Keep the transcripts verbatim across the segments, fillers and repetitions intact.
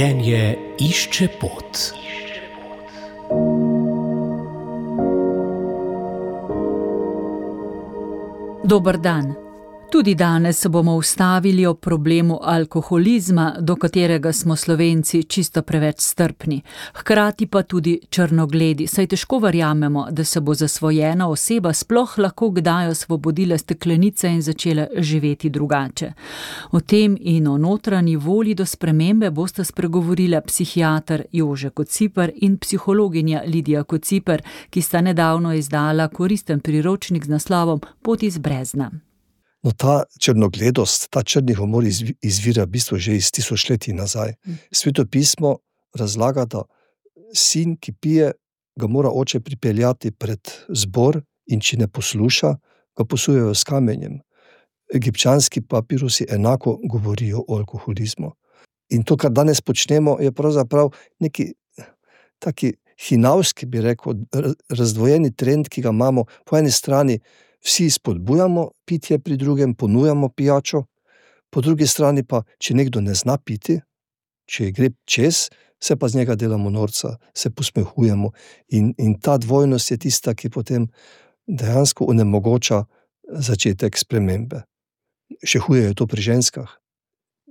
Življenje išče pot. Dober dan. Tudi danes se bomo ustavili o problemu alkoholizma, do katerega smo Slovenci čisto preveč strpni. Hkrati pa tudi črnogledi, saj težko verjamemo, da se bo zasvojena oseba sploh lahko kdaj osvobodila steklenice in začela živeti drugače. O tem in o notranji volji do spremembe bosta spregovorila psihiater Jože Kociper in psihologinja Lidija Kociper, ki sta nedavno izdala koristen priročnik z naslovom Pot iz brezna. No, ta črnogledost, ta črni humor izvira v bistvu že iz tisočletij nazaj. Sveto pismo razlaga, da sin, ki pije, ga mora oče pripeljati pred zbor in če ne posluša, ga posujejo s kamenjem. Egipčanski papirusi enako govorijo o alkoholizmu. In to, kar danes počnemo, je pravzaprav neki taki hinavski, bi rekel, razdvojeni trend, ki ga imamo po eni strani. Vsi spodbujamo pitje pri drugem, ponujamo pijačo, po drugi strani pa, če nekdo ne zna piti, če gre čez, se pa z njega delamo norca, se posmehujemo in, in ta dvojnost je tista, ki potem dejansko onemogoča začetek spremembe. Še huje je to pri ženskah.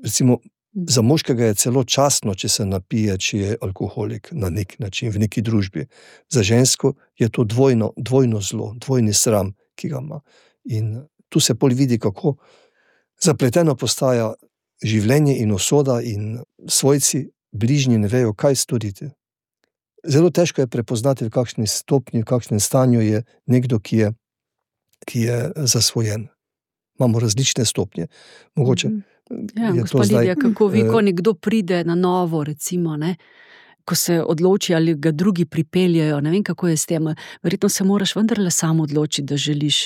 Recimo, za moškega je celo častno, če se napije, če je alkoholik na nek način, v neki družbi. Za žensko je to dvojno, dvojno zlo, dvojni sram, ki ga ima. In tu se pol vidi, kako zapleteno postaja življenje in usoda in svojci, bližnji ne vejo, kaj storiti. Zelo težko je prepoznati, v kakšni stopnji, v kakšnem stanju je nekdo, ki je, ki je zasvojen. Imamo različne stopnje. Mogoče ja, je gospa to zdaj... Lidija, kako vi, ko nekdo pride na novo, recimo, ne, ko se odloči ali ga drugi pripeljajo, ne vem, kako je s tem, verjetno se moraš vendarle sam odločiti, da želiš.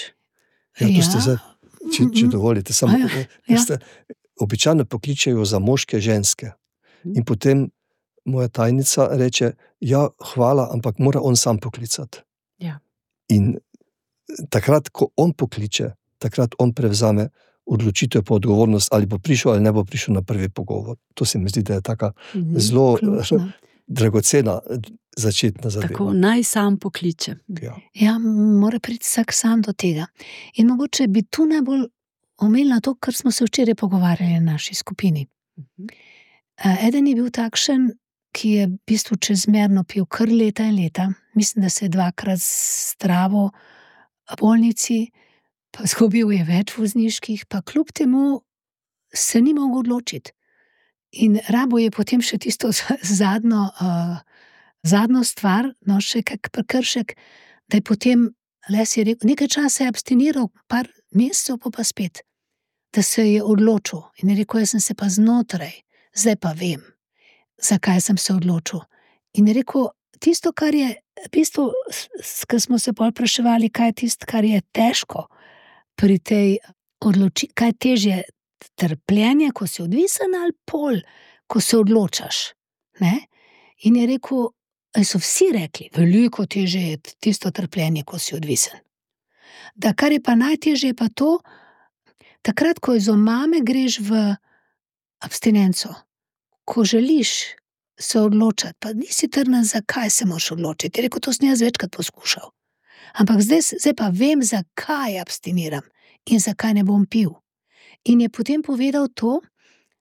Ja, to ste zdaj, če, če dovolite, samo, ja, ja. Ste, običajno pokličejo za moške ženske in potem moja tajnica reče, ja, hvala, ampak mora on sam poklicati. Ja. In takrat, ko on pokliče, takrat on prevzame odločitev po odgovornost, ali bo prišel ali ne bo prišel na prvi pogovor. To se mi zdi, da je taka mm-hmm. zelo Ključno. dragocena začetna zadeva. Tako, naj sam pokliče. Ja. Ja, mora priti vsak sam do tega. In mogoče bi tu najbolj omenila to, kar smo se včeraj pogovarjali na naši skupini. Uh-huh. Eden je bil takšen, ki je v bistvu čezmerno pil kar leta in leta. Mislim, da se je dvakrat zdravil v bolnici, pa zgubil je več vozniških, pa kljub temu se ni mogel odločiti. In rabo je potem še tisto zadnjo, uh, zadnjo stvar, no še kak prekršek, da je potem, les je rekel, nekaj časa je abstiniral, par mesecev pa pa spet, da se je odločil. In je rekel, jaz sem se pa znotraj, zdaj pa vem, zakaj sem se odločil. In je rekel, tisto, kar je, v bistvu, kar smo se pol vpraševali, kaj je tisto, kar je težko pri tej odloči, kaj težje trpljenje, ko si odvisen, ali pol, ko se odločaš. Ne? In je rekel, so vsi rekli, veliko težje je tisto trpljenje, ko si odvisen. Da kar je pa najtežje, je pa to, takrat, ko iz omame greš v abstinenco, ko želiš se odločati, pa nisi trden, zakaj se moraš odločiti. Je rekel, to sem jaz večkrat poskušal. Ampak zdaj, zdaj pa vem, zakaj abstiniram in zakaj ne bom pil. In je potem povedal to,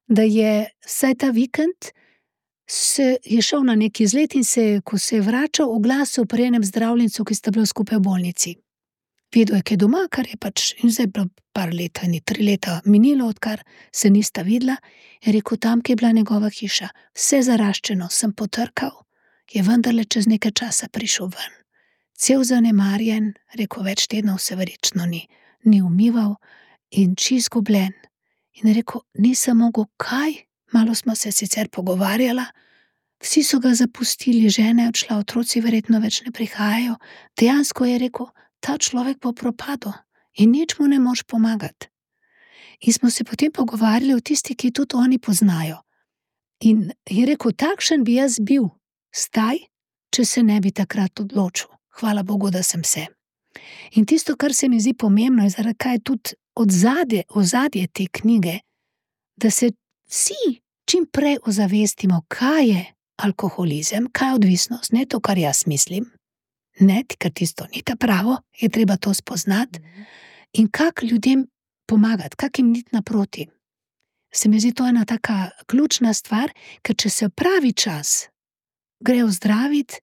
da je vsaj ta vikend se je šel na neki izlet in se, ko se je vračal, oglasil pri enem zdravljencu, ki sta bila skupaj v bolnici. Vedel je, kaj doma, kar je pač, in zdaj je bilo par leta, ni tri leta minilo, odkar se nista videla, je rekel, tam, ki je bila njegova hiša, vse zaraščeno, sem potrkal, je vendarle čez nekaj časa prišel ven. Cel zanemarjen, rekel, več tednov se verjetno ni, ni umival, in čist gubljen. In je rekel, nisem mogel kaj, malo smo se sicer pogovarjala, vsi so ga zapustili, žena je odšla, otroci verjetno več ne prihajajo, dejansko je rekel, ta človek bo propadel in nič mu ne moš pomagati. In smo se potem pogovarjali o tisti, ki tudi oni poznajo. In je rekel, takšen bi jaz bil, staj, če se ne bi takrat odločil. Hvala Bogu, da sem se. In tisto, kar se mi zdi pomembno, je zaradi kaj tudi odzadje, ozadje te knjige, da se vsi, čim prej ozavestimo, kaj je alkoholizem, kaj je odvisnost, ne to, kar jaz mislim, ne, ker tisto ni ta pravo, je treba to spoznati in kak ljudem pomagati, kak jim niti naproti. Se mi zdi to ena taka ključna stvar, ker če se pravi čas gre ozdraviti,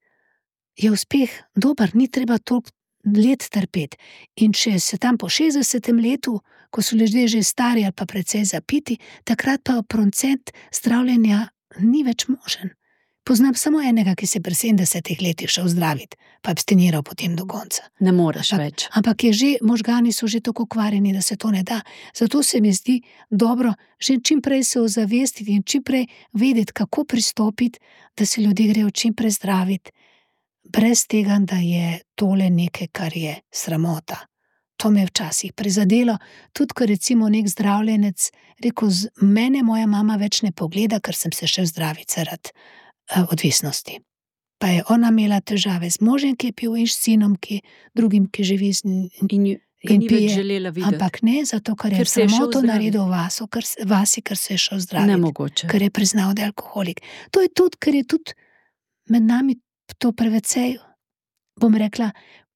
je uspeh dober, ni treba toliko let trpeti. In če se tam po šestdesetem letu, ko so ljudje že stari ali pa precej zapiti, takrat pa procent zdravljenja ni več možen. Poznam samo enega, ki se pri sedemdesetih letih šel zdraviti, pa abstiniral potem do konca. Ne moreš ampak, več. Ampak je že, možgani so že tako kvarjeni, da se to ne da. Zato se mi zdi dobro že čim prej se ozavestiti in čim prej vedeti, kako pristopiti, da se ljudje grejo čim prej zdraviti, brez tega, da je tole nekaj, kar je sramota. To me je včasih prizadelo, tudi ko recimo nek zdravljenec rekel, z mene moja mama več ne pogleda, ker sem se šel zdraviti zaradi uh, odvisnosti. Pa je ona imela težave z možem, ki je pil, in s sinom, ki drugim, ki živi z njim. In, in ni več želela videti. Ampak ne, zato ker je sramoto naredil vaso, ker, vasi, ker se je šel zdraviti. Nemogoče. Ker je priznal, da je alkoholik. To je tudi, ker je tudi med nami to prevecej, bom rekla,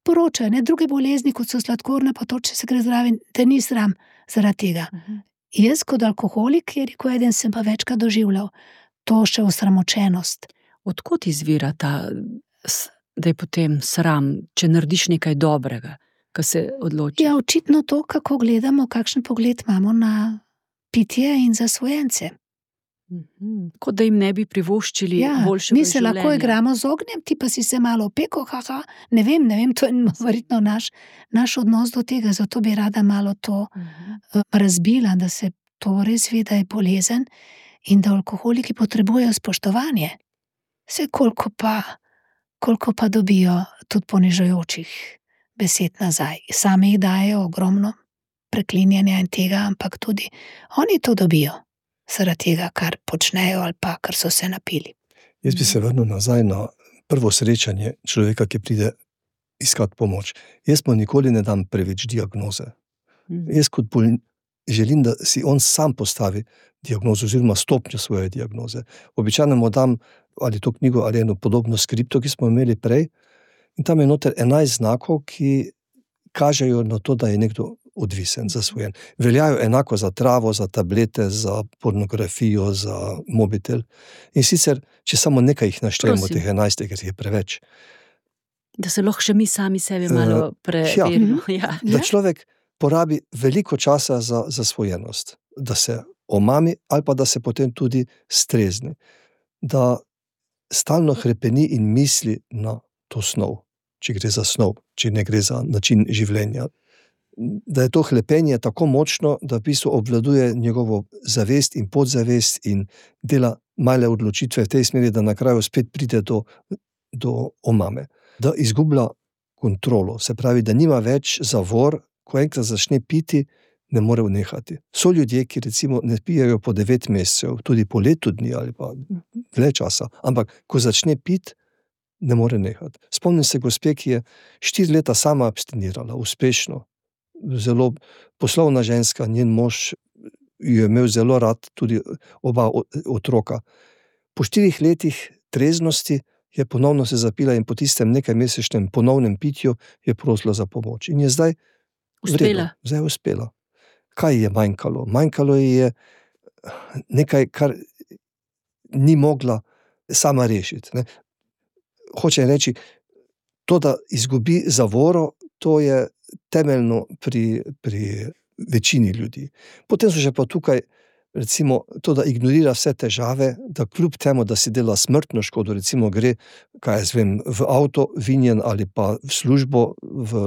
poročajo, ne, druge bolezni, kot so sladkorna, pa to, če se gre zraven, da ni sram zaradi tega. Uh-huh. Jaz kot alkoholik, je rekel eden, sem pa večkrat doživljal to še osramočenost. Odkot izvira ta, da je potem sram, če narediš nekaj dobrega, ko se odloči? Ja, očitno to, kako gledamo, kakšen pogled imamo na pitje in zasvojence. Mm-hmm. Kot da jim ne bi privoščili ja, boljšega mi se življenja. Lahko igramo z ognjem, ti pa si se malo opeko, haha, ne vem, ne vem, to je verjetno naš, naš odnos do tega, zato bi rada malo to mm-hmm. razbila, da se to res ve, da je bolezen in da alkoholiki potrebujejo spoštovanje. Vse koliko pa, koliko pa dobijo tudi ponižujočih besed nazaj. Sami jih dajo ogromno preklinjanja in tega, ampak tudi oni to dobijo. Zaradi tega, kar počnejo ali pa, kar so se napili. Jaz bi se vrnil nazaj na prvo srečanje človeka, ki pride iskati pomoč. Jaz mu nikoli ne dam preveč diagnoze. Mm. Jaz kot bolj želim, da si on sam postavi diagnozo oziroma stopnjo svoje diagnoze. Običajno mu dam ali to knjigo ali eno podobno skripto, ki smo imeli prej, in tam je noter enajst znakov, ki kažejo na to, da je nekdo odvisen, zasvojen. Veljajo enako za travo, za tablete, za pornografijo, za mobitel. In sicer, če samo nekaj jih naštejemo, teh enajst, ker je preveč. Da se lahko še mi sami sebi malo preverimo. Ja, ja. Da človek porabi veliko časa za zasvojenost, da se omami ali pa da se potem tudi strezni. Da stalno hrepeni in misli na to snov, če gre za snov, če ne gre za način življenja. Da je to hlepenje tako močno, da v bistvu obvladuje njegovo zavest in podzavest in dela male odločitve v tej smeri, da na kraju spet pride do, do omame. Da izgublja kontrolo, se pravi, da nima več zavor, ko enkrat začne piti, ne more vnehati. So ljudje, ki recimo ne pijajo po devet mesecev, tudi po letu dni ali pa dlje časa, ampak ko začne piti, ne more nehati. Spomnim se gospe, ki je štiri leta sama abstinirala, uspešno. Zelo poslovna ženska, njen mož jo je imel zelo rad, tudi oba otroka. Po štirih letih treznosti je ponovno se zapila in po tistem nekaj mesečnem ponovnem pitju je prosila za pomoč. In je zdaj uspela. Zdaj je uspela. Kaj je manjkalo? Manjkalo je nekaj, kar ni mogla sama rešiti. Ne? Hoče reči, to, da izgubi zavoro, to je temeljno pri, pri večini ljudi. Potem so še pa tukaj, recimo, to, da ignorira vse težave, da kljub temu, da si dela smrtno škodo, recimo gre, kaj jaz vem, v avto vinjen ali pa v službo, v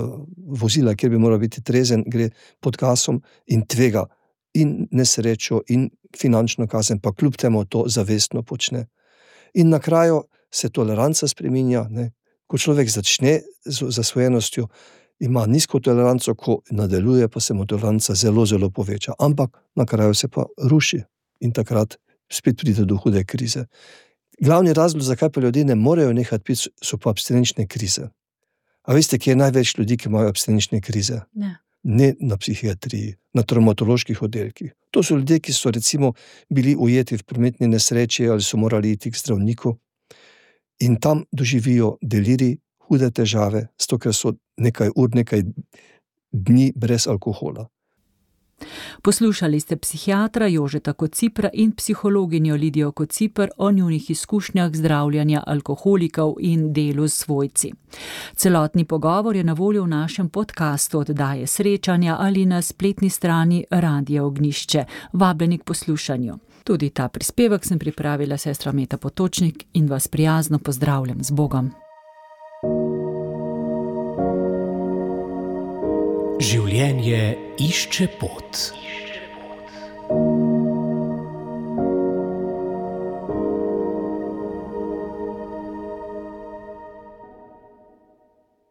vozila, kjer bi moral biti trezen, gre pod gasom in tvega in nesrečo in finančno kazen, pa kljub temu to zavestno počne. In na kraju se toleranca spreminja, ne? Ko človek začne z zasvojenostjo, ima nizko toleranco, ko nadaljuje, pa se mu toleranca zelo, zelo poveča. Ampak na kraju se pa ruši in takrat spet pride do hude krize. Glavni razlog, zakaj pa ljudje ne morejo nehati piti, so pa abstinenčne krize. A veste, kje je največ ljudi, ki imajo abstinenčne krize? Ne. ne na psihiatriji, na travmatoloških oddelkih. To so ljudje, ki so recimo bili ujeti v prometni nesreči ali so morali iti k zdravniku in tam doživijo delirij, hude težave, zato ker so nekaj ur, nekaj dni brez alkohola. Poslušali ste psihiatra Jožeta Kocipra in psihologinjo Lidijo Kociper o njunih izkušnjah zdravljenja alkoholikov in delu s svojci. Celotni pogovor je na voljo v našem podkastu oddaje Srečanja ali na spletni strani Radia Ognjišče. Vabljeni k poslušanju. Tudi ta prispevek sem pripravila sestra Meta Potočnik in vas prijazno pozdravljam z Bogom. Življenje išče pot.